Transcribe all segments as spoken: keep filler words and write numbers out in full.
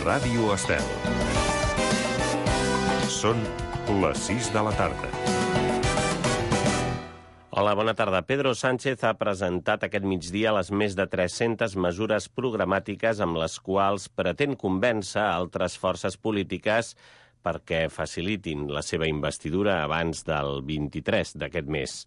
Ràdio Estel. Són les sis de la tarda. Hola, bona tarda. Pedro Sánchez ha presentat aquest migdia les més de tres-centes mesures programàtiques amb les quals pretén convèncer altres forces polítiques perquè facilitin la seva investidura abans del vint-i-tres d'aquest mes.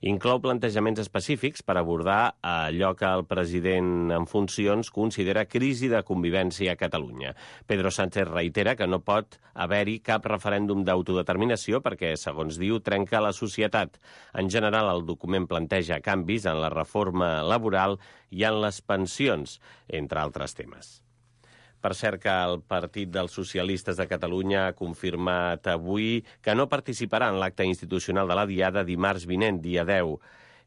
Inclou plantejaments específics per abordar allò que el president en funcions considera crisi de convivència a Catalunya. Pedro Sánchez reitera que no pot haver-hi cap referèndum d'autodeterminació perquè, segons diu, trenca la societat. En general, el document planteja canvis en la reforma laboral i en les pensions, entre altres temes. Per cert, que el Partit dels Socialistes de Catalunya ha confirmat avui que no participarà en l'acte institucional de la Diada dimarts vinent, dia deu.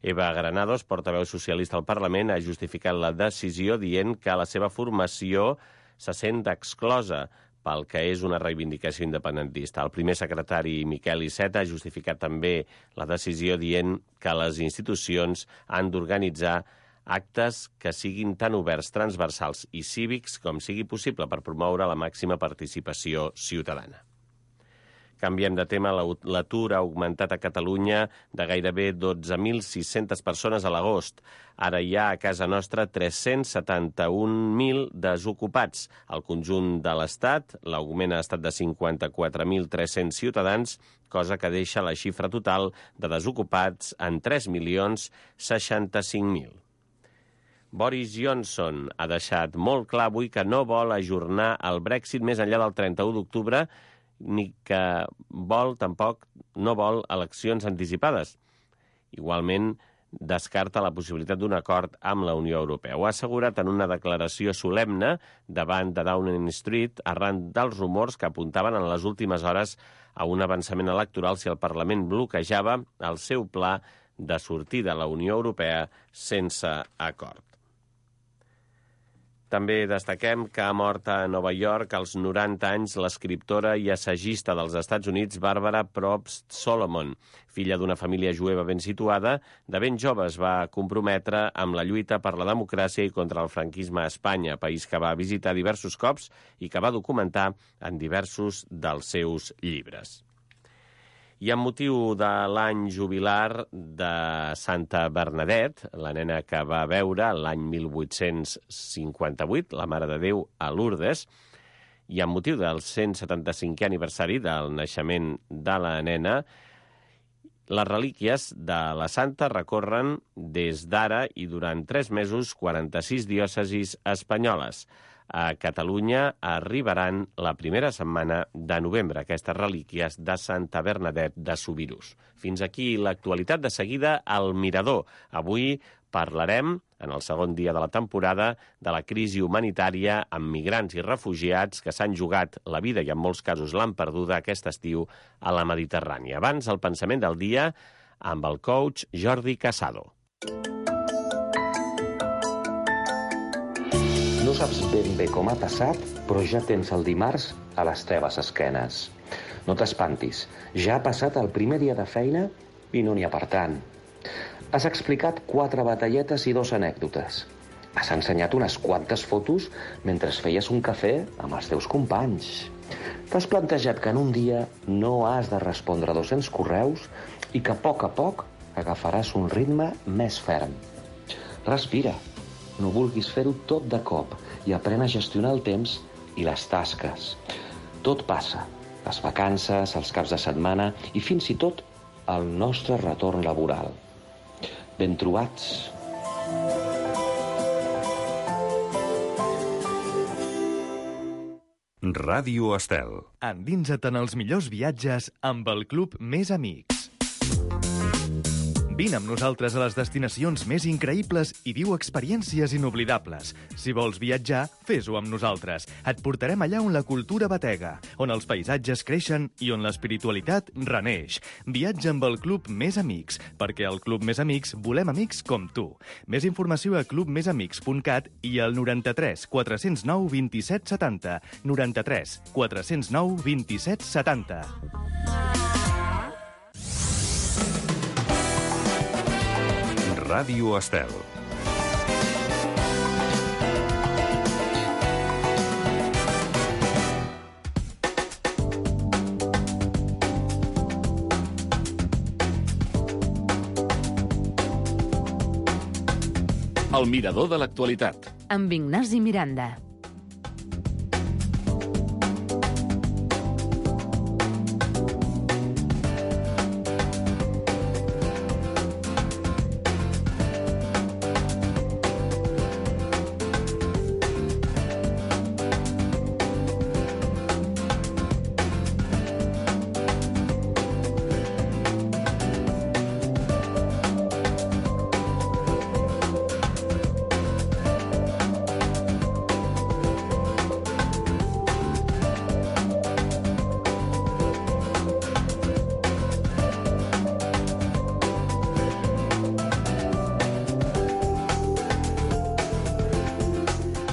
Eva Granados, portaveu socialista al Parlament, ha justificat la decisió dient que la seva formació se sent exclosa pel que és una reivindicació independentista. El primer secretari, Miquel Iceta, ha justificat també la decisió dient que les institucions han d'organitzar actes que siguin tan oberts, transversals i cívics com sigui possible per promoure la màxima participació ciutadana. Canviem de tema. L'atur ha augmentat a Catalunya de gairebé dotze mil sis-centes persones a l'agost. Ara hi ha a casa nostra tres-cents setanta-un mil desocupats. Al conjunt de l'Estat, l'augment ha estat de cinquanta-quatre mil tres-cents ciutadans, cosa que deixa la xifra total de desocupats en tres milions seixanta-cinc mil. Boris Johnson ha deixat molt clar avui que no vol ajornar el Brexit més enllà del trenta-u d'octubre, ni que vol, tampoc, no vol eleccions anticipades. Igualment, descarta la possibilitat d'un acord amb la Unió Europea. Ho ha assegurat en una declaració solemne davant de Downing Street arran dels rumors que apuntaven en les últimes hores a un avançament electoral si el Parlament bloquejava el seu pla de sortir de la Unió Europea sense acord. També destaquem que ha mort a Nova York als noranta anys l'escriptora i assagista dels Estats Units Barbara Probst Solomon. Filla d'una família jueva ben situada, de ben jove es va comprometre amb la lluita per la democràcia i contra el franquisme a Espanya, país que va visitar diversos cops i que va documentar en diversos dels seus llibres. I amb motiu de l'any jubilar de Santa Bernadette, la nena que va veure l'any mil vuit-cents cinquanta-vuit, la Mare de Déu a Lourdes, i amb motiu del cent setanta-cinquè aniversari del naixement de la nena, les relíquies de la santa recorren des d'ara i durant tres mesos quaranta-sis diòcesis espanyoles. A Catalunya arribaran la primera setmana de novembre, aquestes relíquies de Santa Bernadette de Subirús. Fins aquí l'actualitat. De seguida, al Mirador. Avui parlarem, en el segon dia de la temporada, de la crisi humanitària amb migrants i refugiats que s'han jugat la vida i en molts casos l'han perduda aquest estiu a la Mediterrània. Abans, el pensament del dia amb el coach Jordi Casado. No saps ben bé com ha passat, però ja tens el dimarts a les teves esquenes. No t'espantis, ja ha passat el primer dia de feina i no n'hi ha per tant. Has explicat quatre batalletes i dos anècdotes. Has ensenyat unes quantes fotos mentre feies un cafè amb els teus companys. T'has plantejat que en un dia no has de respondre dos-cents correus i que a poc a poc agafaràs un ritme més ferm. Respira. No vulguis fer-ho tot de cop i aprèn a gestionar el temps i les tasques. Tot passa, les vacances, els caps de setmana i fins i tot el nostre retorn laboral. Ben trobats. Ràdio Estel. Endinsa't en els millors viatges amb el Club Més Amics. Vine amb nosaltres a les destinacions més increïbles i viu experiències inoblidables. Si vols viatjar, fes-ho amb nosaltres. Et portarem allà on la cultura batega, on els paisatges creixen i on l'espiritualitat reneix. Viatja amb el Club Més Amics, perquè al Club Més Amics volem amics com tu. Més informació a club més amics punt cat i al noranta-tres quatre-cents nou vint-i-set setanta. noranta-tres quatre-cents nou vint-i-set setanta. Ràdio Estel. El mirador de l'actualitat. Amb Ignasi Miranda.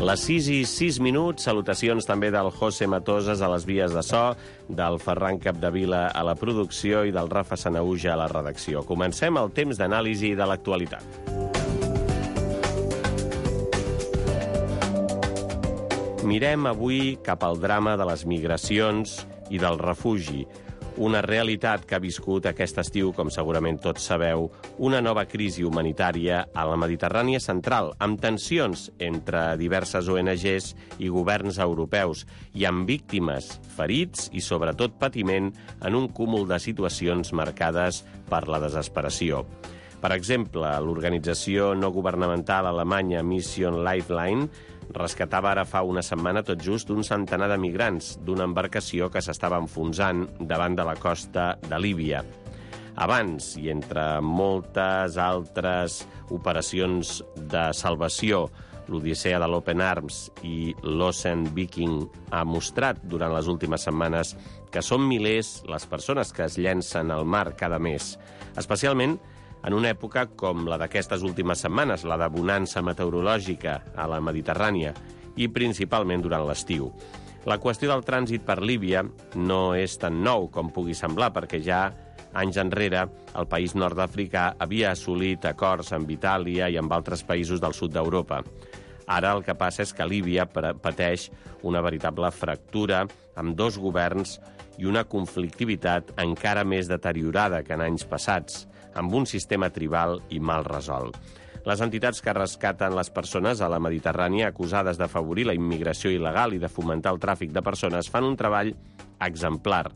Les sis i sis minuts, salutacions també del José Matoses a les vies de so, del Ferran Capdevila a la producció i del Rafa Sanauja a la redacció. Comencem el temps d'anàlisi de l'actualitat. Mirem avui cap al drama de les migracions i del refugi, una realitat que ha viscut aquest estiu, com segurament tots sabeu, una nova crisi humanitària a la Mediterrània central, amb tensions entre diverses O N Ges i governs europeus, i amb víctimes, ferits i, sobretot, patiment en un cúmul de situacions marcades per la desesperació. Per exemple, l'organització no governamental alemanya Mission Lifeline rescatava ara fa una setmana tot just un centenar de migrants d'una embarcació que s'estava enfonsant davant de la costa de Líbia. Abans, i entre moltes altres operacions de salvació, l'Odissea de l'Open Arms i l'Ocean Viking ha mostrat durant les últimes setmanes que són milers les persones que es llencen al mar cada mes, especialment en una època com la d'aquestes últimes setmanes, la de bonança meteorològica a la Mediterrània, i principalment durant l'estiu. La qüestió del trànsit per Líbia no és tan nou com pugui semblar, perquè ja anys enrere el país nord-africà havia assolit acords amb Itàlia i amb altres països del sud d'Europa. Ara el que passa és que Líbia pateix una veritable fractura amb dos governs i una conflictivitat encara més deteriorada que en anys passats, amb un sistema tribal i mal resolt. Les entitats que rescaten les persones a la Mediterrània acusades d'afavorir la immigració il·legal i de fomentar el tràfic de persones fan un treball exemplar.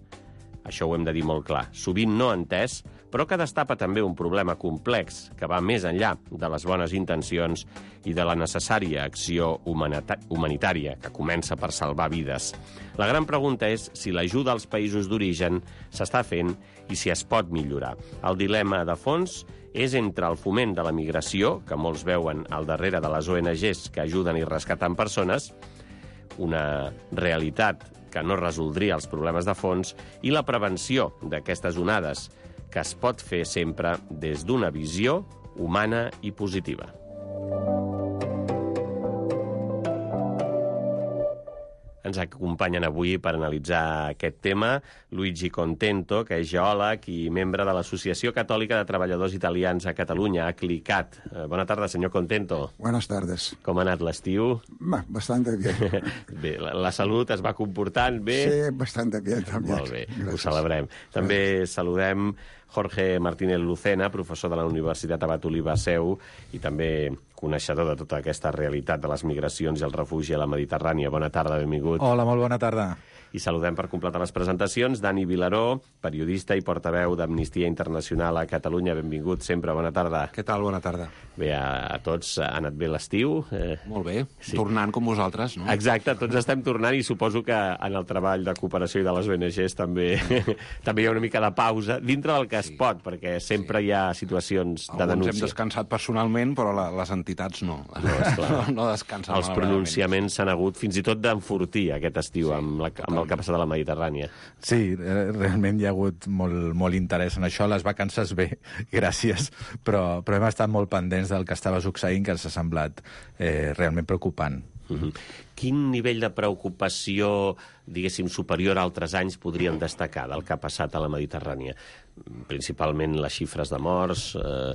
Això ho hem de dir molt clar. Sovint no entès, però que destapa també un problema complex que va més enllà de les bones intencions i de la necessària acció humanitària que comença per salvar vides. La gran pregunta és si l'ajuda als països d'origen s'està fent i si es pot millorar. El dilema de fons és entre el foment de la migració, que molts veuen al darrere de les O N Ges que ajuden i rescaten persones, una realitat que no resoldria els problemes de fons, i la prevenció d'aquestes onades, que es pot fer sempre des d'una visió humana i positiva. Ens acompanyen avui per analitzar aquest tema Luigi Contento, que és geòleg i membre de l'Associació Catòlica de Treballadors Italians a Catalunya, ACLICAT. Bona tarda, senyor Contento. Buenas tardes. Com ha anat l'estiu? Bastante bien. Bé, la, la salut es va comportant bé? Sí, bastante bien, també. Molt bé, Gràcies. Ho celebrem. També Gràcies. Saludem Jorge Martínez Lucena, professor de la Universitat Abat Oliba Seu i també coneixedor de tota aquesta realitat de les migracions i el refugi a la Mediterrània. Bona tarda, benvingut. Hola, molt bona tarda. I saludem per completar les presentacions Dani Vilaró, periodista i portaveu d'Amnistia Internacional a Catalunya. Benvingut sempre, bona tarda. Què tal? Bona tarda. Bé, a, a tots ha anat bé l'estiu. Eh, Molt bé, sí. Tornant com vosaltres, no? Exacte, tots estem tornant i suposo que en el treball de cooperació i de les O N Ges també, també hi ha una mica de pausa, dintre del que sí. es pot, perquè sempre sí. hi ha situacions Alguns de denúncia. hem descansat personalment, però la, les entitats no. No, esclar. no descansen. Els pronunciaments s'han hagut fins i tot d'enfortir aquest estiu sí, amb, la, amb el que ha passat a la Mediterrània. Sí, realment hi ha hagut molt, molt interès en això. Les vacances bé, gràcies, però, però hem estat molt pendents del que estava succeint, que ens ha semblat eh, realment preocupant. Uh-huh. Quin nivell de preocupació, diguéssim, superior a altres anys podríem destacar del que ha passat a la Mediterrània? Principalment les xifres de morts, eh,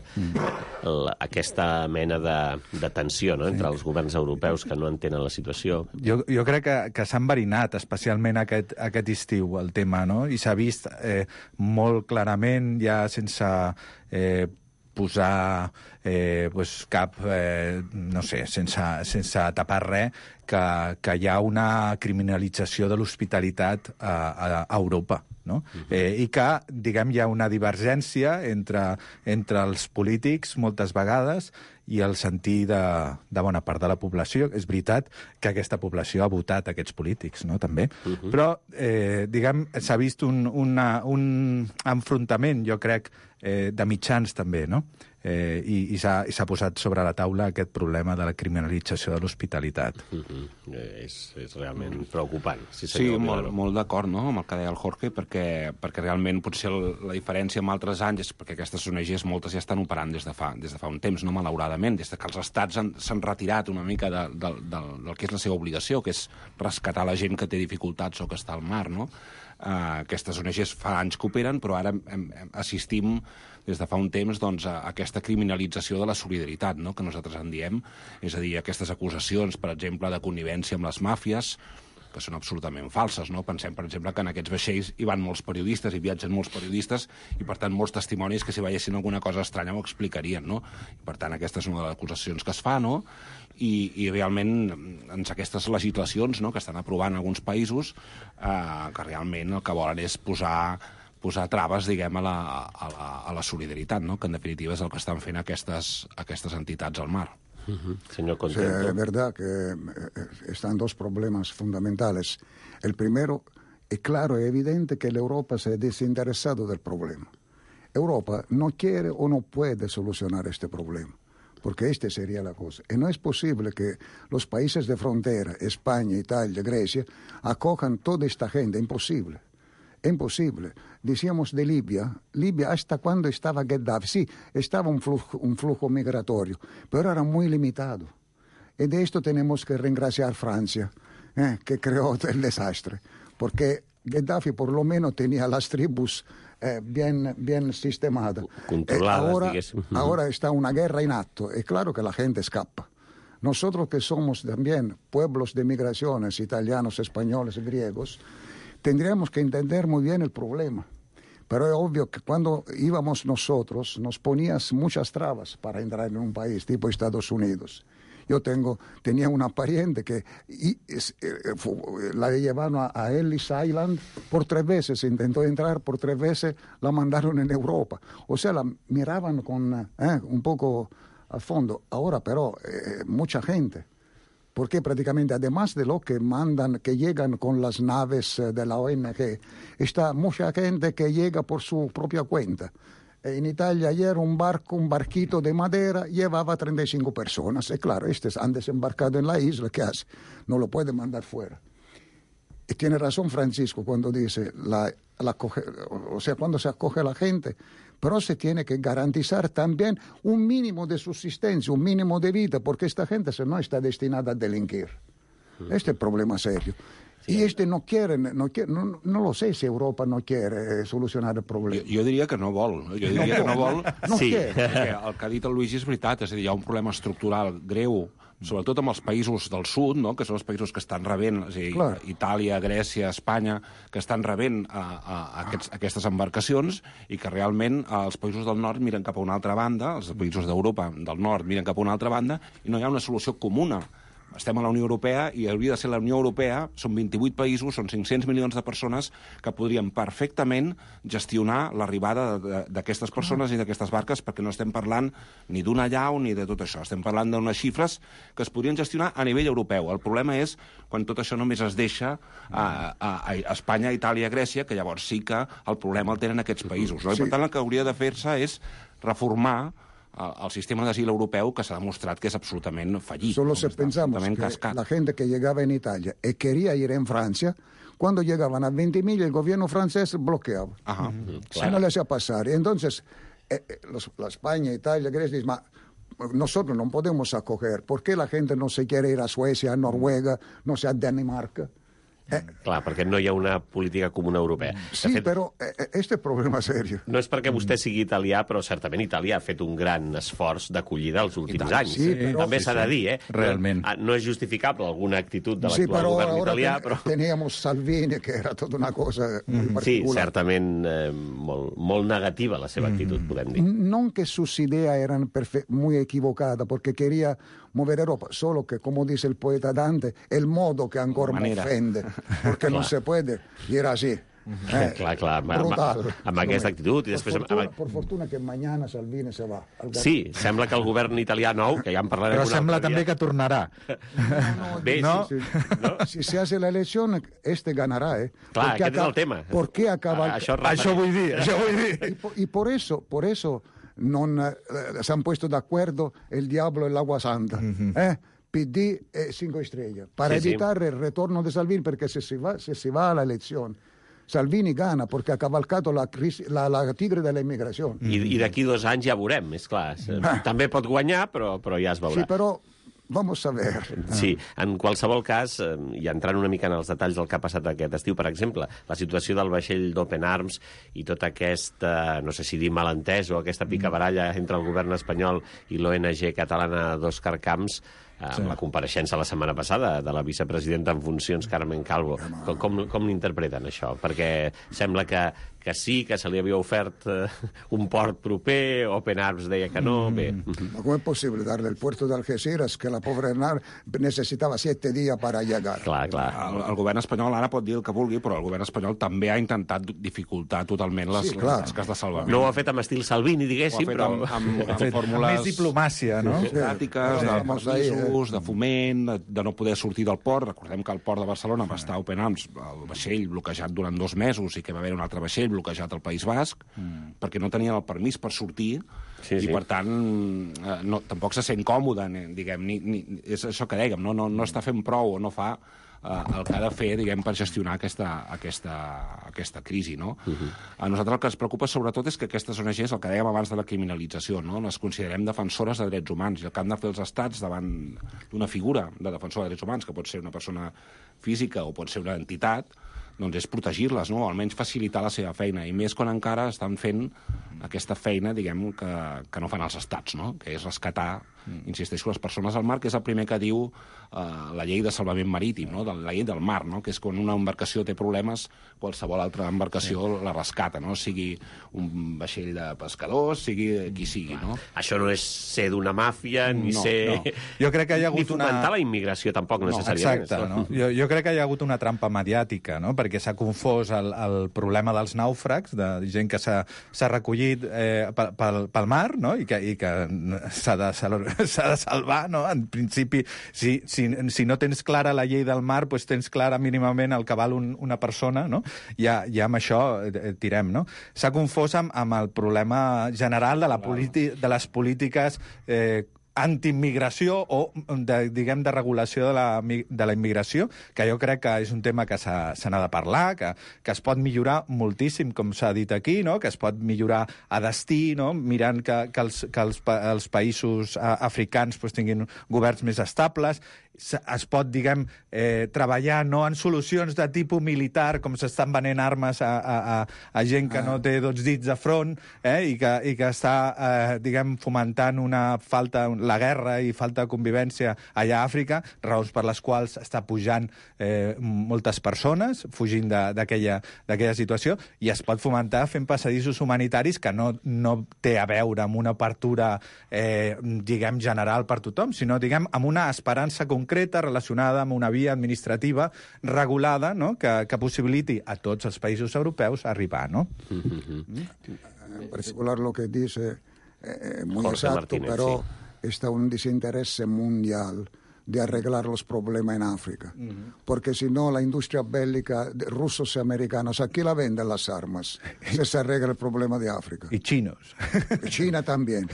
la, aquesta mena de, de tensió, no?, entre sí. els governs europeus que no entenen la situació. Jo, jo crec que, que s'ha enverinat, especialment aquest, aquest estiu, el tema, no? I s'ha vist eh, molt clarament, ja sense... Eh, posar eh, pues cap, eh, no sé, sense, sense tapar res, que, que hi ha una criminalització de l'hospitalitat a, a, a Europa. No? Uh-huh. eh, I que, diguem, hi ha una divergència entre, entre els polítics, moltes vegades, i el sentir de, de bona part de la població. És veritat que aquesta població ha votat aquests polítics, no?, també. Uh-huh. Però, eh, diguem, s'ha vist un, una, un enfrontament, jo crec, eh, de mitjans també, no? Eh, i, i s'ha posat sobre la taula aquest problema de la criminalització de l'hospitalitat. Uh-huh. eh, és, és realment preocupant. Sí, sí molt, molt d'acord, no?, amb el que deia el Jorge, perquè, perquè realment potser el, la diferència amb altres anys és perquè aquestes O N Ges moltes ja estan operant des de fa, des de fa un temps, no?, malauradament, des de que els estats s'han retirat una mica de, de, de, del que és la seva obligació, que és rescatar la gent que té dificultats o que està al mar, no? Uh, aquestes O N Ges fa anys que operen, però ara hem, hem, assistim des de fa un temps doncs, a aquesta criminalització de la solidaritat, no?, que nosaltres en diem, és a dir, aquestes acusacions, per exemple, de connivència amb les màfies, que són absolutament falses, no? Pensem, per exemple, que en aquests vaixells hi van molts periodistes, hi viatgen molts periodistes, i, per tant, molts testimonis que si veiessin alguna cosa estranya ho explicarien, no? I, per tant, aquesta és una de les acusacions que es fa, no? I, i realment, en aquestes legislacions, no?, que estan aprovant alguns països, eh, que realment el que volen és posar posar traves, diguem, a la, a la, a la solidaritat, no?, que en definitiva és el que estan fent aquestes, aquestes entitats al mar. Uh-huh. Señor Contento. Sí, es verdad que están dos problemas fundamentales. El primero, es claro y evidente que la Europa se ha desinteresado del problema. Europa no quiere o no puede solucionar este problema, porque esta sería la cosa. Y no es posible que los países de frontera, España, Italia, Grecia, acojan toda esta gente. Imposible. Imposible. Decíamos de Libia. Libia, ¿hasta cuando estaba Gheddafi? Sí, estaba un flujo, un flujo migratorio, pero era muy limitado. Y de esto tenemos que reingraciar a Francia, eh, que creó el desastre, porque Gheddafi por lo menos tenía las tribus eh, bien, bien sistemadas. Controladas, eh, ahora, diguéssim. ahora está una guerra en acto, y claro que la gente escapa. Nosotros que somos también pueblos de migraciones, italianos, españoles, griegos, tendríamos que entender muy bien el problema. Pero es obvio que cuando íbamos nosotros, nos ponías muchas trabas para entrar en un país, tipo Estados Unidos. Yo tengo, tenía una pariente que y, es, eh, fu, la llevaron a, a Ellis Island por tres veces, intentó entrar, por tres veces la mandaron en Europa. O sea, la miraban con eh, un poco al fondo. Ahora, pero, eh, mucha gente. Porque prácticamente, además de lo que mandan, que llegan con las naves de la O N G, está mucha gente que llega por su propia cuenta. En Italia ayer un barco, un barquito de madera, llevaba treinta y cinco personas. Y claro, estos han desembarcado en la isla, ¿qué hace? No lo puede mandar fuera. Y tiene razón Francisco cuando dice, la, la coge, o sea, cuando se acoge a la gente, pero se tiene que garantizar también un mínimo de subsistencia, un mínimo de vida, porque esta gente se no está destinada a delinquir. Este es el problema serio. Sí. Y este no quiere, no, quiere no, no lo sé si Europa no quiere solucionar el problema. Jo, jo diria que no vol. Jo diria no que no vol. No sí, quiere. Perquè el que ha dit el Luigi és veritat, és a dir, hi ha un problema estructural greu, sobretot amb els països del sud, no?, que són els països que estan rebent, és a dir, clar, Itàlia, Grècia, Espanya, que estan rebent a, a, a aquests, aquestes embarcacions i que realment els països del nord miren cap a una altra banda, els països d'Europa del nord miren cap a una altra banda i no hi ha una solució comuna. Estem a la Unió Europea i hauria de ser la Unió Europea, són vint-i-vuit països, són cinc-cents milions de persones que podrien perfectament gestionar l'arribada d'aquestes persones i d'aquestes barques, perquè no estem parlant ni d'una llau ni de tot això. Estem parlant d'unes xifres que es podrien gestionar a nivell europeu. El problema és quan tot això només es deixa a, a, a Espanya, Itàlia, Grècia, que llavors sí que el problema el tenen aquests països. No? I per tant el que hauria de fer-se és reformar al sistema d'asil europeu, que s'ha demostrat que és absolutament fallit. Solo si pensamos que cascat. La gente que llegaba en Italia y quería ir en Francia, cuando llegaban a veinte mil, el gobierno francés bloqueaba. Ajá. Uh-huh. Si no le hacía pasar. Y entonces, eh, los, la España, Italia, Grecia, dicen, nosotros no podemos acoger. ¿Por qué la gente no se quiere ir a Suecia, a Noruega, no sé, a Dinamarca? Eh, Clar, perquè no hi ha una política comuna europea. Sí, de fet, però eh, este è problema serio. no és perquè vostè sigui italià, però certament Itàlia ha fet un gran esforç d'acollida els últims tant, anys. sí, però- També sí, s'ha de dir, eh? Realment. No, no és justificable alguna actitud de Sí, l'actual però govern ahora italià, ten- però... teníamos Salvini, que era tota una cosa muy Sí, particular. certament eh, molt, molt negativa la seva actitud, podem dir. Non che sus ideas eran perfe- muy equivocadas, porque quería mover Europa, solo que, como dice el poeta Dante, el modo que ancora me manera. ofende, porque no se puede, y era así. Eh, clar, clar, amb, amb, brutal. amb aquesta actitud. I Por després, fortuna, amb, por fortuna que mañana Salvini se va. al govern. sí, sembla que el govern italià nou, que ja en parlarem Però un sembla altre també dia... que tornarà. Bé, No? sí, Si, no? si se hace la elección, este ganará, ¿eh? Clar, Porque aquest és acá- el tema. ¿Por qué acaba? Ah, això, Això vull dir, això vull dir. Y por, y por eso, por eso non, eh, se han puesto de acuerdo el diablo y el agua santa. ¿eh? P D e cinco estrellas, para Sí, sí. evitar el retorno de Salvini, perché se si va, se si va a la elección, Salvini gana porque ha cavalcato la, crisi, la, la tigre de la inmigración. I, i d'aquí dos anys ja veurem, és clar. També pot guanyar, però, però ja es veurà. Sí, però vamos a ver. Sí, en qualsevol cas, eh, i entrant una mica en els detalls del que ha passat aquest estiu, per exemple, la situació del vaixell d'Open Arms i tota aquesta, no sé si dir malentès o aquesta picabaralla entre el govern espanyol i l'O N G catalana d'Òscar Camps, eh, amb sí. la compareixença la setmana passada de la vicepresidenta en funcions, Carmen Calvo. Com, com, com l'interpreten, això? Perquè sembla que, que sí, que se li havia ofert eh, un port proper, Open Arms deia que no, bé... Ma com'è possibile darle el puerto de Algeciras, que la povera Hernán necesitava siete días para llegar? Clar, clar. El, el govern espanyol ara pot dir el que vulgui, però el govern espanyol també ha intentat dificultar totalment les, Sí, clar. les tasques de salvament. No ho ha fet amb estil Salvini, Ho ha diguéssim, fet però... amb, amb, amb Fet fórmules més diplomàcia, no? burocràtiques, Sí. de Vamos ahí, permisos, de foment, de, de no poder sortir del port. Recordem que el port de Barcelona va estar Open Arms, el vaixell bloquejat durant dos mesos i que va haver un altre vaixell bloquejat al País Basc, mm. perquè no tenien el permís per sortir, Sí, i sí. per tant eh, no, tampoc se sent còmode, ni- diguem, ni, ni, és això que dèiem, no, no, no està fent prou o no fa eh, el que ha de fer, diguem, per gestionar aquesta, aquesta, aquesta crisi, no? Uh -huh. A nosaltres el que ens preocupa sobretot és que aquestes O N Ges, el que dèiem abans de la criminalització, no? Les considerem defensores de drets humans, i el que han de fer els estats davant d'una figura de defensor de drets humans, que pot ser una persona física o pot ser una entitat, doncs és protegir-les, no? O almenys facilitar la seva feina, i més quan encara estan fent aquesta feina, diguem, que, que no fan els estats, no? Que és rescatar, mm. insisteixo, les persones al mar, que és el primer que diu eh, la llei de salvament marítim, no? De, la llei del mar, no? Que és quan una embarcació té problemes, qualsevol altra embarcació sí. la rescata, no? Sigui un vaixell de pescadors, sigui qui sigui, no? Això no és ser d'una màfia, ni No, ser... no. Jo crec que hi ha hagut ni fomentar una... la immigració, tampoc, necessàriament. Exacte, no? Jo, jo crec que hi ha hagut una trampa mediàtica, no? Perquè s'ha confós el, el problema dels nàufrags, de gent que s'ha recollit eh, pel, pel mar, no? I que, i que s'ha de, s'ha de salvar, no? En principi, si, si, si no tens clara la llei del mar, doncs tens clara mínimament el que val un, una persona, no? Ja, ja amb això eh, tirem, no? S'ha confós amb, amb el problema general de, la de les polítiques eh, antiimmigració o, de, diguem, de regulació de la, de la immigració, que jo crec que és un tema que se n'ha de parlar, que, que es pot millorar moltíssim, com s'ha dit aquí, no? Que es pot millorar a destí, no? Mirant que, que, els, que els, els països africans pues, tinguin governs més estables. Es pot, diguem, eh, treballar no en solucions de tipus militar, com s'estan venent armes a, a, a gent que no té dos dits de front, eh, i, que, i que està, eh, diguem, fomentant una falta, la guerra i falta de convivència allà a Àfrica, raons per les quals està pujant eh, moltes persones, fugint d'aquella situació, i es pot fomentar fent passadissos humanitaris que no, no té a veure amb una apertura, eh, diguem, general per tothom, sinó, diguem, amb una esperança concreta concreta relacionada amb una via administrativa regulada, no? que, que possibiliti a tots els països europeus arribar, ¿no? En particular lo que dice eh, muy Jorge exacto, Martínez, pero sí. está un desinterés mundial de arreglar los problemas en África. Uh-huh. Porque si no, la industria bélica de rusos y americanos, aquí la venden las armas. Se, se arregla el problema de África. Y chinos. Y China también.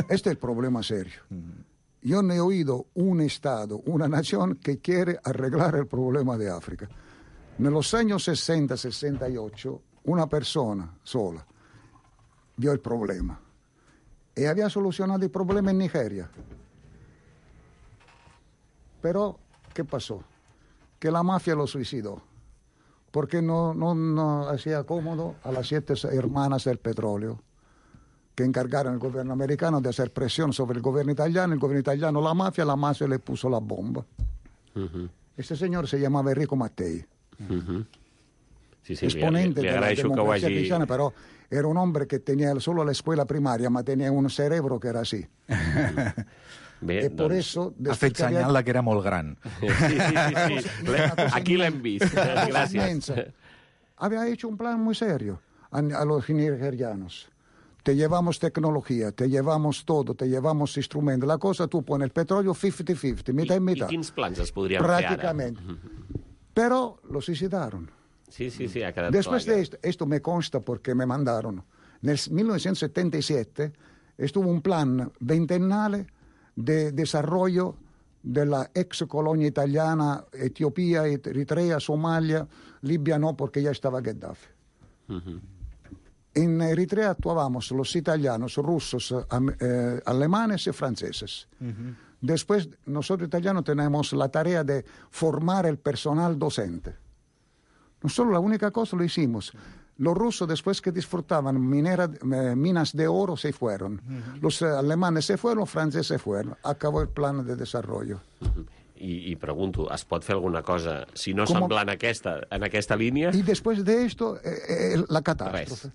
Este es el problema serio. Uh-huh. Yo no he oído un Estado, una nación que quiere arreglar el problema de África. En los años sesenta, sesenta y ocho, una persona sola vio el problema y había solucionado el problema en Nigeria. Pero, ¿qué pasó? Que la mafia lo suicidó. porque no, no, no hacía cómodo a las siete hermanas del petróleo, que encargaron al gobierno americano de hacer presión sobre el gobierno italiano, el gobierno italiano la mafia, la mafia le puso la bomba. Uh-huh. Este señor se llamava Enrico Mattei, uh-huh. sí, sí, exponente li, li de la democracia hagi... cristiana, però era un hombre que tenía solo la escuela primaria, ma tenía un cerebro que era así. Bé, e por doncs... eso, ha fet que senyal había... que era molt gran. Sí, sí, sí. sí. Aquí l'hem vist. Gràcies. Había hecho un plan muy serio a, a los nigerianos. Te llevamos tecnología, te llevamos todo, te llevamos instrumentos. La cosa, tú pones el petróleo cincuenta cincuenta, mitad y mitad. I quins plans es podrien Prácticamente. fer ara? Pero los hicieron. Sí, sí, sí, ha quedat Después clar. de esto, esto me consta porque me mandaron. En mil novecientos setenta y siete estuvo un plan ventennale de desarrollo de la ex colonia italiana, Etiopía, Eritrea, Somalia, Libia no, porque ya estaba Gheddafi. Uh-huh. En Eritrea actuábamos los italianos, rusos, eh, alemanes y franceses. Uh-huh. Después, nosotros italianos tenemos la tarea de formar el personal docente. Nosotros la única cosa lo hicimos. Los rusos, después que disfrutaban minera, eh, minas de oro, se fueron. Uh-huh. Los eh, alemanes se fueron, los franceses se fueron. Acabó el plan de desarrollo. Uh-huh. I, I pregunto, es pot fer alguna cosa, si no semblant a aquesta, en aquesta línia? Y después de esto, eh, eh, la catástrofe. Res.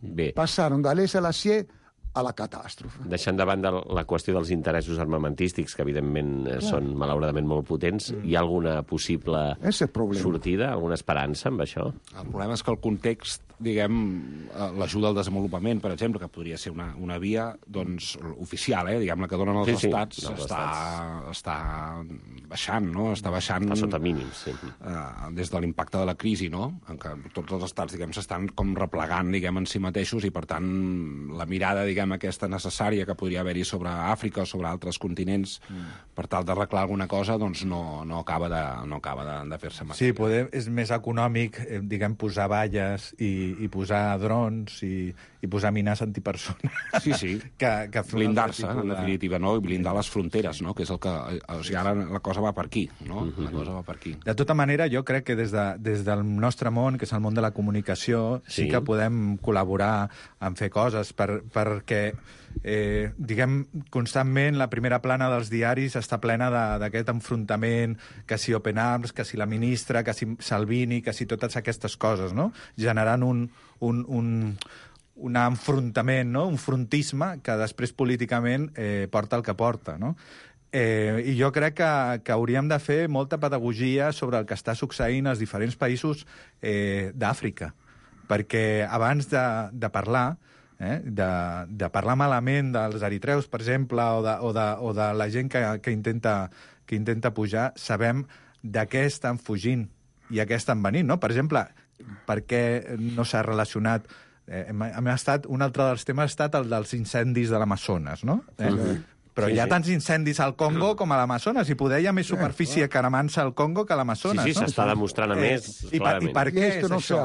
Bé. Pasaron de l'S-Lacier a la catàstrofe. Deixant de banda la qüestió dels interessos armamentístics, que evidentment Clar. són malauradament molt potents, mm. hi ha alguna possible sortida, alguna esperança amb això? El problema és que el context, diguem, l'ajuda al desenvolupament, per exemple, que podria ser una, una via doncs, oficial, eh, diguem, la que donen els sí, estats, sí, no, està, estats, està baixant, no? Està baixant... Està sota mínims, sí. Eh, des de l'impacte de la crisi, no? En què tots els estats, diguem, s'estan com replegant, diguem, en si mateixos i, per tant, la mirada, diguem, aquesta necessària que podria haver-hi sobre Àfrica o sobre altres continents mm. per tal d'arreglar alguna cosa, doncs no, no acaba de, no acaba de, de fer-se massa. Sí, poder, és més econòmic, eh, diguem, posar valles i, i posar drons i, i posar mines antipersones. Sí, sí. que, que blindar-se, en definitiva, no? I blindar les fronteres, no? Que és el que... O sigui, ara la cosa va per aquí, no? Uh-huh. La cosa va per aquí. De tota manera, jo crec que des, de, des del nostre món, que és el món de la comunicació, sí, sí que podem col·laborar en fer coses per, perquè Eh, diguem, constantment la primera plana dels diaris està plena d'aquest enfrontament, que si Open Arms, que si la ministra, que si Salvini, que si totes aquestes coses, no? Generant un, un, un, un enfrontament, no? Un frontisme que després políticament eh, porta el que porta, no? Eh, I jo crec que, que hauríem de fer molta pedagogia sobre el que està succeint als diferents països eh, d'Àfrica, perquè abans de, de parlar Eh? De, de parlar malament dels eritreus, per exemple, o de, o de, o de la gent que, que, intenta, que intenta pujar, sabem de què estan fugint i a què estan venint, no? Per exemple, per què no s'ha relacionat... Eh, hem, hem estat, un altre dels temes ha estat el dels incendis de l'Amazones, no? Eh? Uh-huh. Però sí, hi ha sí. tants incendis al Congo com a l'Amazones, i poder hi ha més superfície eh, cremant-se al Congo que a l'Amazones. Sí, sí, no? s'està demostrant a eh, més, i per, I per què és no això?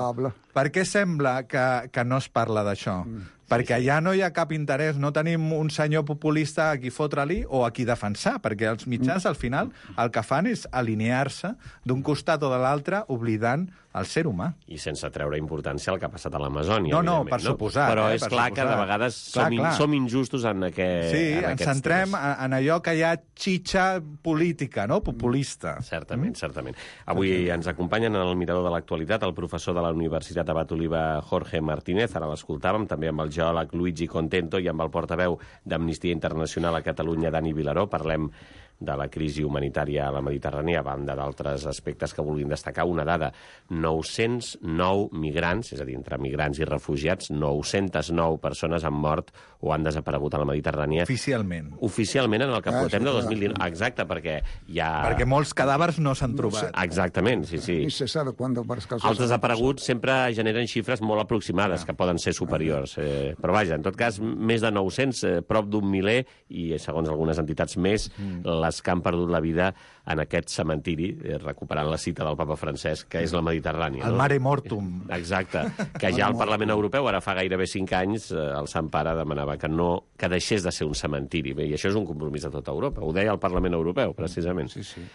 Per què sembla que, que no es parla d'això? Mm. Perquè ja no hi ha cap interès, no tenim un senyor populista a qui fotre-li o a qui defensar, perquè els mitjans, al final, el que fan és alinear-se d'un costat o de l'altre, oblidant el ser humà. I sense treure importància al que ha passat a l'Amazònia. No, no, per suposar. Però eh, és clar suposar. que de vegades clar, som, clar. som injustos en, aquest, sí, en ens aquests centrem temes. en allò que hi ha xitxa política, no? Populista. Certament, mm? certament. Avui ens acompanyen en el mirador de l'actualitat el professor de la Universitat Abat Oliva, Jorge Martínez, ara l'escoltàvem, també amb el geòleg Luigi Contento i amb el portaveu d'Amnistia Internacional a Catalunya, Dani Vilaró. Parlem de la crisi humanitària a la Mediterrània, a banda d'altres aspectes que vulguin destacar. Una dada, nou-cents nou migrants, és a dir, entre migrants i refugiats, nou-cents nou persones han mort o han desaparegut a la Mediterrània. Oficialment. Oficialment en el que ah, portem de dos mil dinou. Exacte, perquè hi ha... Perquè molts cadàvers no s'han trobat. No Exactament, sí, sí. I se sabe cuándo varios casos... Els desapareguts sempre generen xifres molt aproximades, ah. que poden ser superiors. Eh, però vaja, en tot cas, més de nou-cents, eh, prop d'un miler, i segons algunes entitats més, mm. les que han perdut la vida en aquest cementiri, eh, recuperant la cita del papa Francesc, que és la Mediterrània. El no? mare mortum. Exacte. Que ja al Parlament Europeu, ara fa gairebé cinc anys, eh, el Sant Pare demanava que no que deixés de ser un cementiri. Bé, i això és un compromís de tota Europa. Ho deia el Parlament Europeu, precisament. Sí, sí.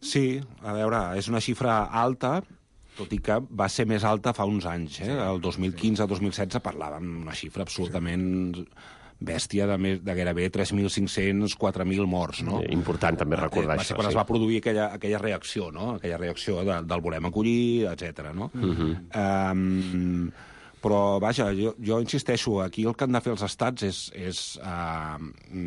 Sí, a veure, és una xifra alta, tot i que va ser més alta fa uns anys. Eh? El dos mil quinze dos mil setze parlàvem d'una xifra absolutament bèstia de, més, de gairebé tres mil cinc-cents a quatre mil morts. No? Important també recordar va això. ser quan sí. es va produir aquella, aquella reacció, no? Aquella reacció de, del volem acollir, etcètera. No? Uh-huh. Um, però, vaja, jo, jo insisteixo, aquí el que han de fer els estats és, és uh,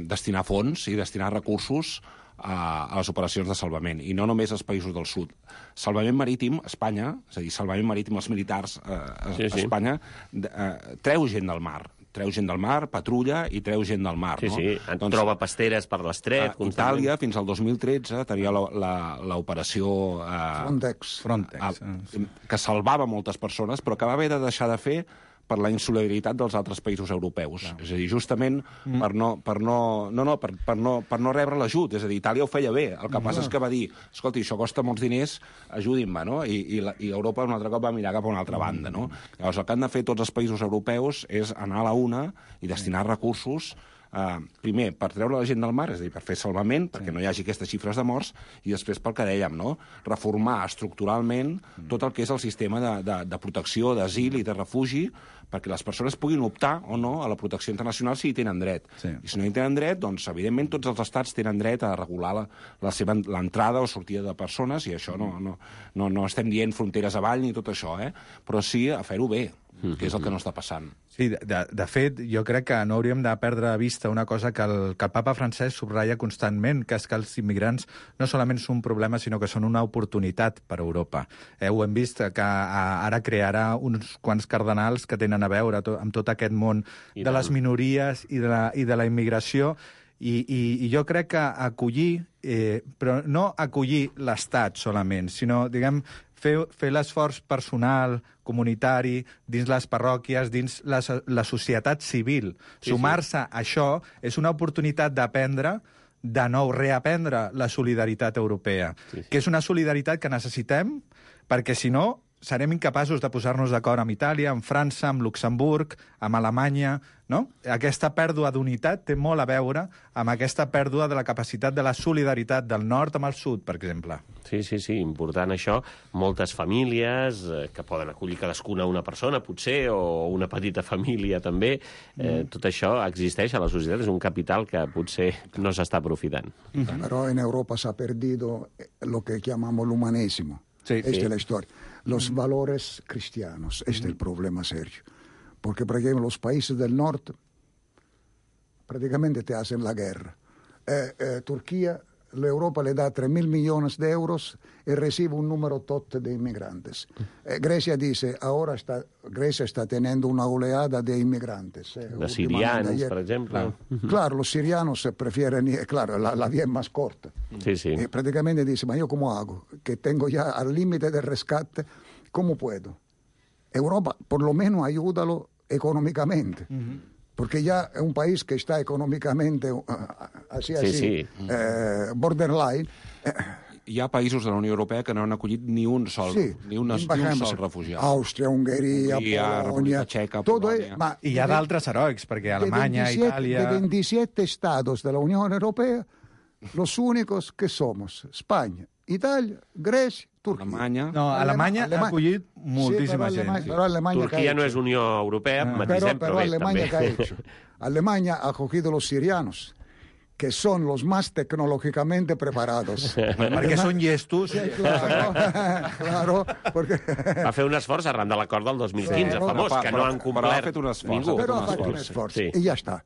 destinar fons i destinar recursos a, a les operacions de salvament, i no només als països del sud. Salvament marítim, Espanya, és a dir, salvament marítim, els militars eh, a sí, sí. Espanya, eh, treu gent del mar, treu gent del mar, patrulla i treu gent del mar. Sí, no? sí, doncs, troba pasteres per l'estret. Uh, Itàlia, fins al dos mil tretze, tenia l'operació uh, Frontex, Frontex uh, que salvava moltes persones, però que va haver de deixar de fer per la insolidaritat dels altres països europeus. Clar. És a dir, justament mm. per, no, per, no, no, no, per, per, no, per no rebre l'ajut. És a dir, Itàlia ho feia bé. El que mm. passa és que va dir, escolti, això costa molts diners, ajudin-me, no? I, i, la, I Europa un altre cop va mirar cap a una altra banda, no? Llavors, el que han de fer tots els països europeus és anar a la una i destinar recursos Uh, primer, per treure la gent del mar, és a dir, per fer salvament, sí. perquè no hi hagi aquestes xifres de morts, i després pel que dèiem, no? Reformar estructuralment mm. tot el que és el sistema de, de, de protecció, d'asil i de refugi, perquè les persones puguin optar o no a la protecció internacional si hi tenen dret. Sí. I si no hi tenen dret, doncs, evidentment, tots els estats tenen dret a regular la, la seva l'entrada o sortida de persones, i això no, no, no, no estem dient fronteres avall ni tot això, eh? Però sí a fer-ho bé, que és el que no està passant. Sí, de, de fet, jo crec que no hauríem de perdre de vista una cosa que el, que el papa Francesc subratlla constantment, que és que els immigrants no solament són un problema, sinó que són una oportunitat per a Europa. Eh, ho hem vist, que ara crearà uns quants cardenals que tenen a veure to, amb tot aquest món I de les minories i de la, i de la immigració, I, i, i jo crec que acollir, eh, però no acollir l'Estat solament, sinó, diguem, fer, fer l'esforç personal, comunitari, dins les parròquies, dins la, la societat civil. Sí, Sumar-se sí. a això és una oportunitat d'aprendre, de nou reaprendre la solidaritat europea, sí, sí. que és una solidaritat que necessitem, perquè si no serem incapaços de posar-nos d'acord amb Itàlia, amb França, amb Luxemburg, amb Alemanya, no? Aquesta pèrdua d'unitat té molt a veure amb aquesta pèrdua de la capacitat de la solidaritat del nord amb el sud, per exemple. Sí, sí, sí, important això. Moltes famílies eh, que poden acollir cadascuna una persona, potser, o una petita família també. Eh, mm. Tot això existeix a la societat, és un capital que potser no s'està aprofitant. Mm-hmm. Però en Europa s'ha perdido lo que llamamos l'humanismo. Sí, Esta sí. es la historia. Los valores cristianos, este es el problema serio. Porque, por ejemplo, los países del norte prácticamente te hacen la guerra. Eh, eh, Turquía, la Europa le da tres mil millones de euros y recibe un número totte de inmigrantes. Eh, Grecia dice, ahora está, Grecia está teniendo una oleada de inmigrantes. Eh, los sirianos, por ejemplo. Claro, claro, los sirianos prefieren, claro, la, la vía es más corta. Sí, sí. Y prácticamente dice, ma yo cómo hago, que tengo ya al límite del rescate, ¿cómo puedo? Europa, por lo menos ayúdalo económicamente. Uh-huh. Porque ya es un país que está económicamente uh, así, así, sí, sí. Eh, borderline. Eh, Hi ha països de la Unió Europea que no han acollit ni un sol, sí, ni, una, ni un sol refugiat. Àustria, Hongria, Hongria Polonia, Txeca, todo Polònia. Es, ma, I hi ha d'altres heroics, perquè Alemanya, de veintisiete, Itàlia... De veintisiete estados de la Unión Europea, los únicos que somos España, Italia, Grecia, Turquia. Alemanya... No, Alemanya ha acollit moltíssima sí, gent. Alemanya, Sí. però Alemanya Turquia no és Unió Europea, no. matisem, però, però, però bé, Alemanya també. ¿qué ha hecho? Alemania ha cogido los sirianos, que son los más tecnológicamente preparados. Perquè són llestos. Sí, claro, claro, porque... Va fer un esforç arran de l'acord del dos mil quinze, Claro, famós, però- que no però- han però complert ha fet un esforç, ningú. ha fet Pero un ha fatto un esfuerzo. esfuerzo Sí. y ya está.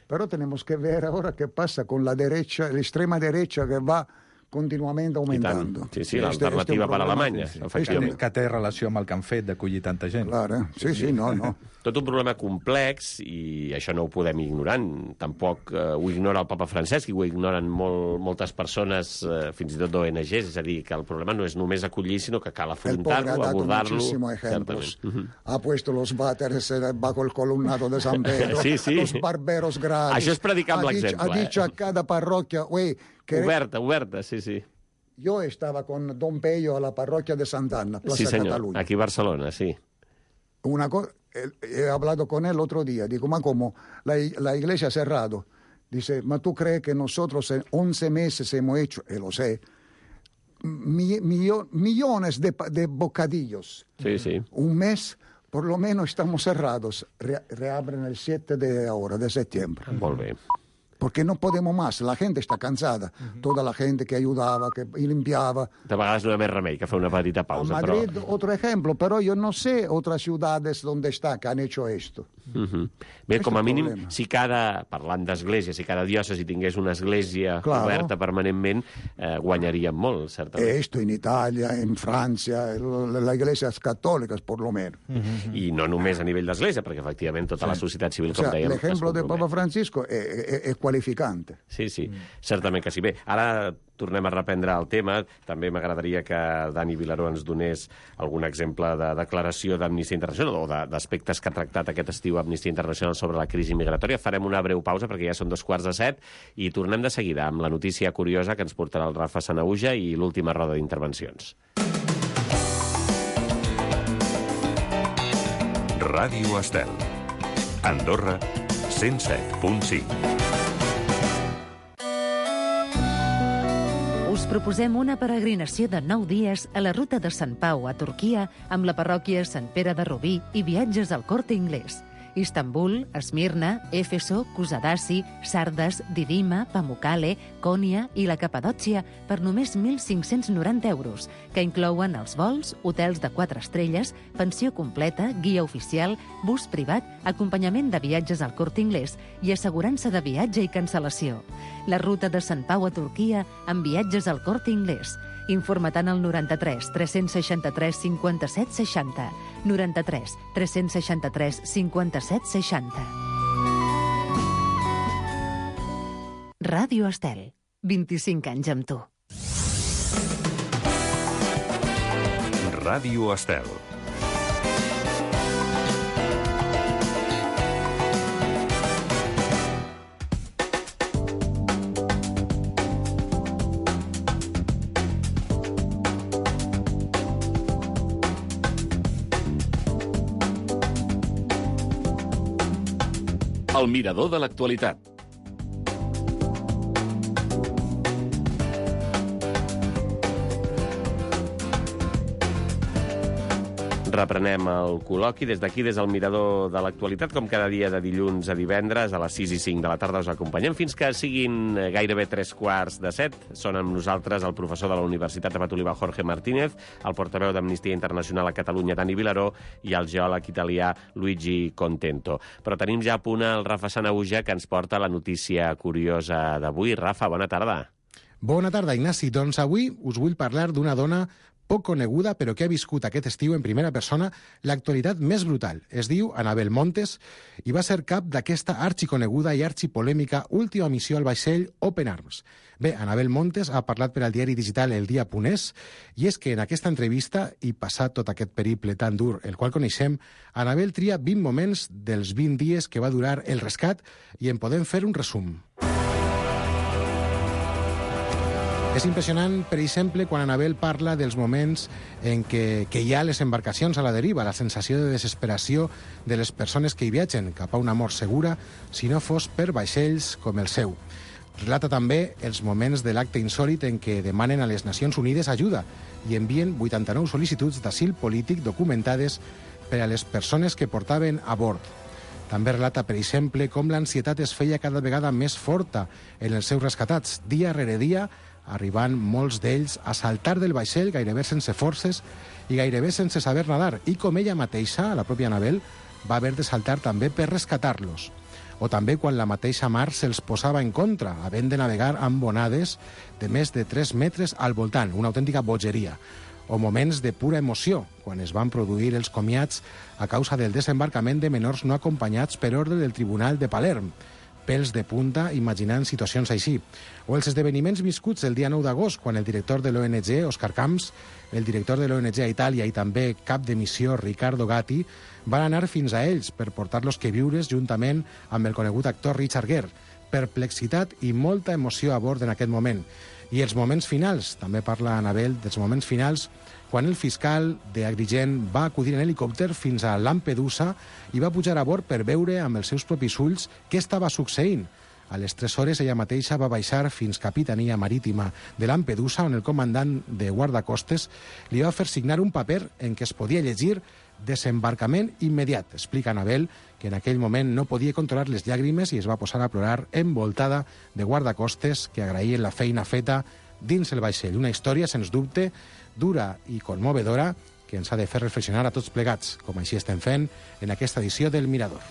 Pero tenemos que ver ahora qué pasa con la derecha, la extrema derecha que va continuamente aumentando. Sí, sí, Este- l'alternativa este es un per problema. Alemanya, Sí, sí. efectivament. Que té relació amb el que han fet d'acollir tanta gent. Claro, eh? sí, sí, no, no. Tot un problema complex i això no ho podem ignorar. Tampoc eh, ho ignora el papa Francesc i ho ignoren molt, moltes persones, eh, fins i tot d'O N Ges. És a dir, que el problema no és només acollir, sinó que cal El pobre afrontar-lo, ha dado abordar-lo. muchísimos ejemplos. Certament. Ha puesto los váteres eh, bajo el columnado de San Pedro, Sí, sí. los barberos gratis. Això és predicar amb Ha dicho- l'exemple, Ha eh? dicho a cada parroquia, güey, que Oberta, oberta, sí, sí. yo estaba con Don Pello a la parroquia de Sant'Anna, Plaza Sí, senyor. Cataluña. Aquí a Barcelona, sí. Una co- eh, he hablado con él otro día, digo, ma como la, la iglesia ha cerrado. Dice, ma tú crees que nosotros en once meses hemos hecho, y lo sé, mi, millo, millones de, de bocadillos. Sí, sí. Un mes, por lo menos, estamos cerrados. Re, reabren el siete de ahora, de septiembre. Molt bé. Porque no podemos más, la gente está cansada. Uh-huh. Toda la gente que ayudaba, que limpiaba. De vegades no hi ha més remei que fer una petita pausa. A Madrid, però... otro ejemplo, pero yo no sé otras ciudades donde está que han hecho esto. Uh-huh. Bé, com a mínim, si cada, parlant d'església, si cada diòcesi tingués una església claro. oberta permanentment, eh, guanyaríem molt, certament. Esto en Italia, en Francia, las iglesias católicas, por lo menos. Uh-huh. I no només a nivell d'església, perquè efectivament tota sí. la societat civil, com o sea, dèiem... L'ejemplo de Papa Francisco es, es qualificante. Sí, sí, mm. certament que sí. Bé, ara tornem a reprendre el tema. També m'agradaria que Dani Vilaró ens donés algun exemple de declaració d'Amnistia Internacional o d'aspectes que ha tractat aquest estiu Amnistia Internacional sobre la crisi migratòria. Farem una breu pausa perquè ja són dos quarts de set i tornem de seguida amb la notícia curiosa que ens portarà el Rafa Sanahuja i l'última roda d'intervencions. Ràdio Estel. Andorra, cent set punt cinc. Us proposem una peregrinació de nou dies a la ruta de Sant Pau a Turquia amb la parròquia Sant Pere de Rubí i viatges al Corte Inglés. Istanbul, Esmirna, Éfeso, Kusadasi, Sardes, Didima, Pamukkale, Konya i la Capadòcia per només mil cinc-cents noranta euros, que inclouen els vols, hotels de quatre estrelles, pensió completa, guia oficial, bus privat, acompanyament de viatges al Corte Inglés i assegurança de viatge i cancel·lació. La ruta de Sant Pau a Turquia amb viatges al Corte Inglés. Informa-te'n al noranta-tres tres-cents seixanta-tres cinquanta-set seixanta. noranta-tres tres-cents seixanta-tres cinquanta-set seixanta. Ràdio Estel. vint-i-cinc anys amb tu. Ràdio Estel. El mirador de l'actualitat. Reprenem el col·loqui des d'aquí, des del mirador de l'actualitat, com cada dia de dilluns a divendres, a les sis i cinc de la tarda us acompanyem fins que siguin gairebé tres quarts de set. Són amb nosaltres el professor de la Universitat de Patoliva, Jorge Martínez, el portaveu d'Amnistia Internacional a Catalunya, Dani Vilaró, i el geòleg italià Luigi Contento. Però tenim ja a punt el Rafa Sanahuja, que ens porta la notícia curiosa d'avui. Rafa, bona tarda. Bona tarda, Ignasi. Doncs avui us vull parlar d'una dona poc coneguda, però que ha viscut aquest estiu en primera persona l'actualitat més brutal. Es diu Anabel Montes i va ser cap d'aquesta arxiconeguda i arxipolèmica última missió al vaixell Open Arms. Bé, Anabel Montes ha parlat per al diari digital El Dia punt es i és que en aquesta entrevista, i passat tot aquest periple tan dur el qual coneixem, Anabel tria vint moments dels vint dies que va durar el rescat i en podem fer un resum. És impressionant, per exemple, quan Anabel parla dels moments en què, que hi ha les embarcacions a la deriva, la sensació de desesperació de les persones que hi viatgen cap a una mort segura, si no fos per vaixells com el seu. Relata també els moments de l'acte insòlit en què demanen a les Nacions Unides ajuda i envien vuitanta-nou sol·licituds d'asil polític documentades per a les persones que portaven a bord. També relata, per exemple, com l'ansietat es feia cada vegada més forta en els seus rescatats, dia rere dia, arribant molts d'ells a saltar del vaixell gairebé sense forces i gairebé sense saber nadar, i com ella mateixa, la pròpia Anabel, va haver de saltar també per rescatar-los. O també quan la mateixa mar se'ls posava en contra, havent de navegar amb onades de més de tres metres al voltant, una autèntica bogeria. O moments de pura emoció, quan es van produir els comiats a causa del desembarcament de menors no acompanyats per ordre del Tribunal de Palerm, pèls de punta imaginant situacions així. O els esdeveniments viscuts el dia nou d'agost, quan el director de l'O N G, Òscar Camps, el director de l'O N G a Itàlia i també cap de missió, Riccardo Gatti, van anar fins a ells per portar-los que viures juntament amb el conegut actor Richard Gere. Perplexitat i molta emoció a bord en aquest moment. I els moments finals, també parla Anabel dels moments finals, quan el fiscal d'Agrigent va acudir en helicòpter fins a Lampedusa i va pujar a bord per veure amb els seus propis ulls què estava succeint. A les tres hores ella mateixa va baixar fins Capitania Marítima de Lampedusa, on el comandant de guardacostes li va fer signar un paper en què es podia llegir desembarcament immediat. Explica Anabel que en aquell moment no podia controlar les llàgrimes i es va posar a plorar envoltada de guardacostes que agraïen la feina feta dins el vaixell. Una història, sens dubte, dura i conmovedora que ens ha de fer reflexionar a tots plegats, com així estem fent en aquesta edició del Mirador.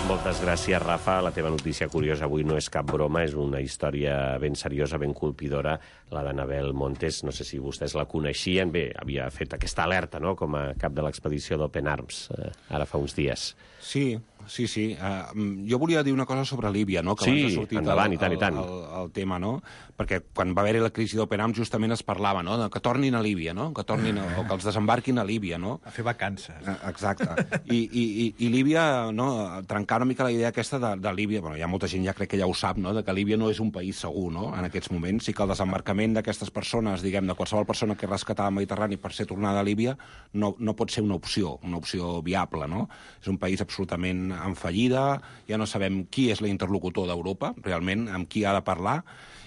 Moltes gràcies, Rafa. La teva notícia curiosa avui no és cap broma, és una història ben seriosa, ben colpidora, la d'Anabel Montes. No sé si vostès la coneixien. Bé, havia fet aquesta alerta, no?, com a cap de l'expedició d'Open Arms, eh, ara fa uns dies. Sí, sí, sí. Uh, jo volia dir una cosa sobre Líbia, no?, que sí, abans ha sortit endavant, el, i tant, i tant. El, el, el tema, no?, perquè quan va haver-hi la crisi d'Open Arms justament es parlava, no?, que tornin a Líbia, no?, que tornin a, o que els desembarquin a Líbia, no? A fer vacances. Uh, exacte. I, i, i, I Líbia, no?, trencar una mica la idea aquesta de, de Líbia, bueno, hi ha molta gent ja crec que ja ho sap, no?, de que Líbia no és un país segur, no?, en aquests moments, i que el desembarcament d'aquestes persones, diguem, de qualsevol persona que és rescatada al Mediterrani per ser tornada a Líbia, no, no pot ser una opció, una opció viable, no? És un país absolutament en fallida, ja no sabem qui és l'interlocutor d'Europa, realment, amb qui ha de parlar,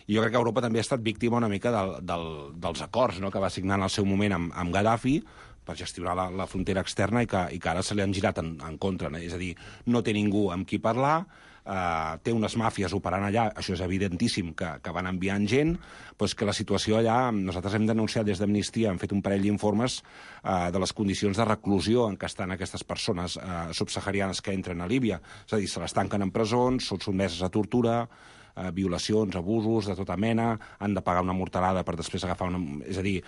i jo crec que Europa també ha estat víctima una mica del, del, dels acords, no?, que va signar en el seu moment amb, amb Gaddafi per gestionar la, la frontera externa i que, i que ara se li han girat en, en contra, no? És a dir, no té ningú amb qui parlar, eh, té unes màfies operant allà, això és evidentíssim que, que van enviant gent, doncs que la situació allà, nosaltres hem denunciat des d'Amnistia, hem fet un parell d'informes eh, de les condicions de reclusió en què estan aquestes persones eh, subsaharianes que entren a Líbia, és a dir, se les tanquen en presons, són sotmeses a tortura, Eh, violacions, abusos de tota mena, han de pagar una mortalada per després agafar una... És a dir,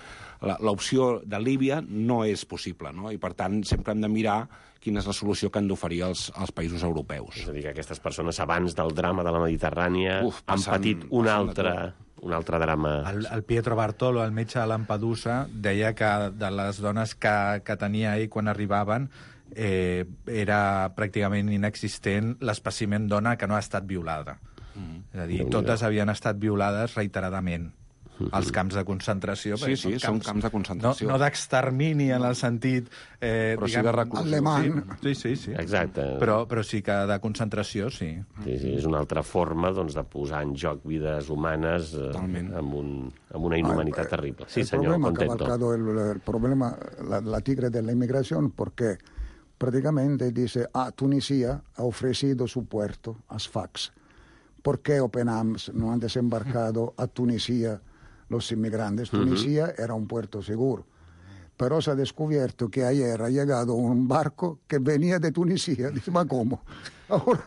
l'opció de Líbia no és possible, no? I per tant sempre hem de mirar quina és la solució que han d'oferir els, els països europeus. És a dir, que aquestes persones abans del drama de la Mediterrània Uf, passen, han patit un altre, un altre drama. El, el Pietro Bartolo, el metge de Lampedusa, deia que de les dones que, que tenia ell quan arribaven eh, era pràcticament inexistent l'espècimen dona que no ha estat violada. Mm. És a dir, totes havien estat violades reiteradament als camps de concentració. Sí, sí, són camps, camps de concentració. No, no d'extermini en el sentit... Eh, però diguem, sí de reclusió. Alemany. Sí, sí, sí. Exacte. Però, però sí que de concentració, sí. Sí, sí, és una altra forma doncs, de posar en joc vides humanes eh, amb, un, amb una inhumanitat ah, terrible. Sí, el senyor, problema contento. Ha cavalcado el, el problema, la, la tigre de la inmigración, porque prácticamente dice, ah, Tunisia ha ofrecido su puerto a Sfax. ¿Por qué Open Arms no han desembarcado a Tunisia los inmigrantes? Tunisia uh-huh. era un puerto seguro. Pero se ha descubierto que ayer ha llegado un barco que venía de Tunisia. Dice, ¿ma cómo? Ahora,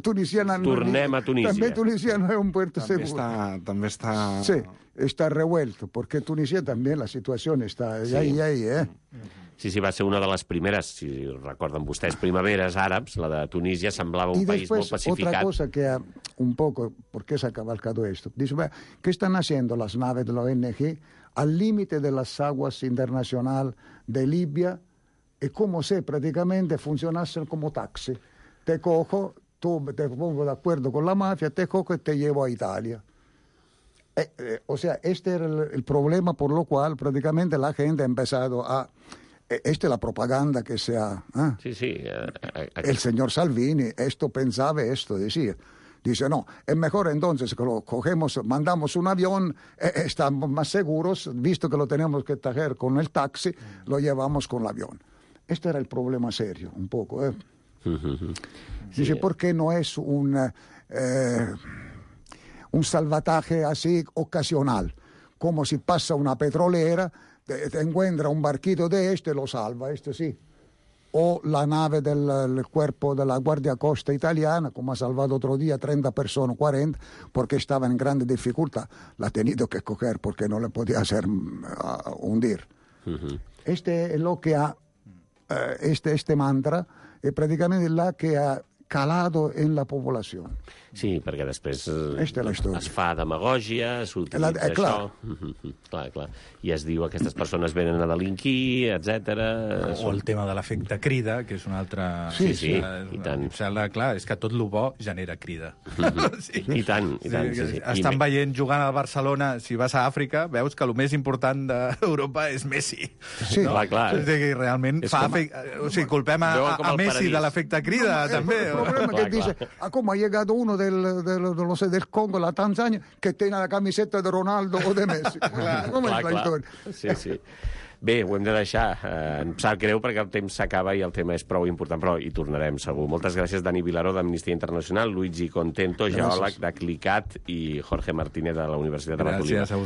Tunisia no, Tornem a Tunisia. También Tunisia no es un puerto també seguro. Està, també està... Sí, está revuelto, porque Tunisia también la situación está sí. ahí, ahí, ¿eh? Sí, sí, va ser una de les primeres, si recorden vostès, primaveres àrabs, la de Tunísia semblava un y país después, molt pacificat. Otra cosa que ha, un poco, ¿por qué se ha cabalcado esto? Dice, ¿qué están haciendo las naves de la O N G al límite de las aguas internacionales de Libia? Es como si prácticamente funcionasen como taxi. Te cojo, tú te pongo de acuerdo con la mafia, te cojo y te llevo a Italia. Eh, eh, o sea, este era el, el problema por lo cual prácticamente la gente ha empezado a... Esta es la propaganda que se ha... ¿eh? Sí, sí. Eh, eh, el señor Salvini, esto pensaba, esto decía. Dice, no, es mejor entonces que lo cogemos, mandamos un avión, eh, estamos más seguros, visto que lo tenemos que traer con el taxi, lo llevamos con el avión. Este era el problema serio, un poco. ¿eh? Uh-huh. Sí. Dice, ¿por qué no es un, eh, un salvataje así ocasional? Como si pasa una petrolera... Te, te encuentra un barquito de este, lo salva, este sí. O la nave del el cuerpo de la Guardia Costa italiana, como ha salvado otro día treinta personas, cuarenta, porque estaba en grande dificultad. La ha tenido que coger porque no le podía hacer uh, hundir. Uh-huh. Este es lo que ha, uh, este, este mantra, es prácticamente la que ha calado en la població. Sí, perquè després Esta es fa demagògia, s'utilitza eh, clar. això, clar, clar. I es diu que aquestes persones venen a delinquir, etcètera. O el tema de l'efecte crida, que és una altra... Sí, sí, i tant. Em sembla, clar, és que tot el bo genera crida. Sí. I tant, i tant, sí, sí. Estan veient jugant al Barcelona, si vas a Àfrica, veus que el més important d'Europa és Messi. Sí, clar, clar. És que realment fa... Com... O sigui, culpem a, a Messi de l'efecte crida, també. problema Clar, que dice, clar. ah, ¿cómo ha llegado uno del, del, no sé, del Congo, la Tanzania, que tiene la camiseta de Ronaldo o de Messi? Clar, Com és clar, la clar. història? Sí, sí. Bé, ho hem de deixar. Eh, em sap greu perquè el temps s'acaba i el tema és prou important, però hi tornarem segur. Moltes gràcies, Dani Vilaró, d'Amnistia Internacional, Luigi Contento, geòleg de CLICAT, i Jorge Martínez, de la Universitat de la Colima. Gràcies a vosaltres.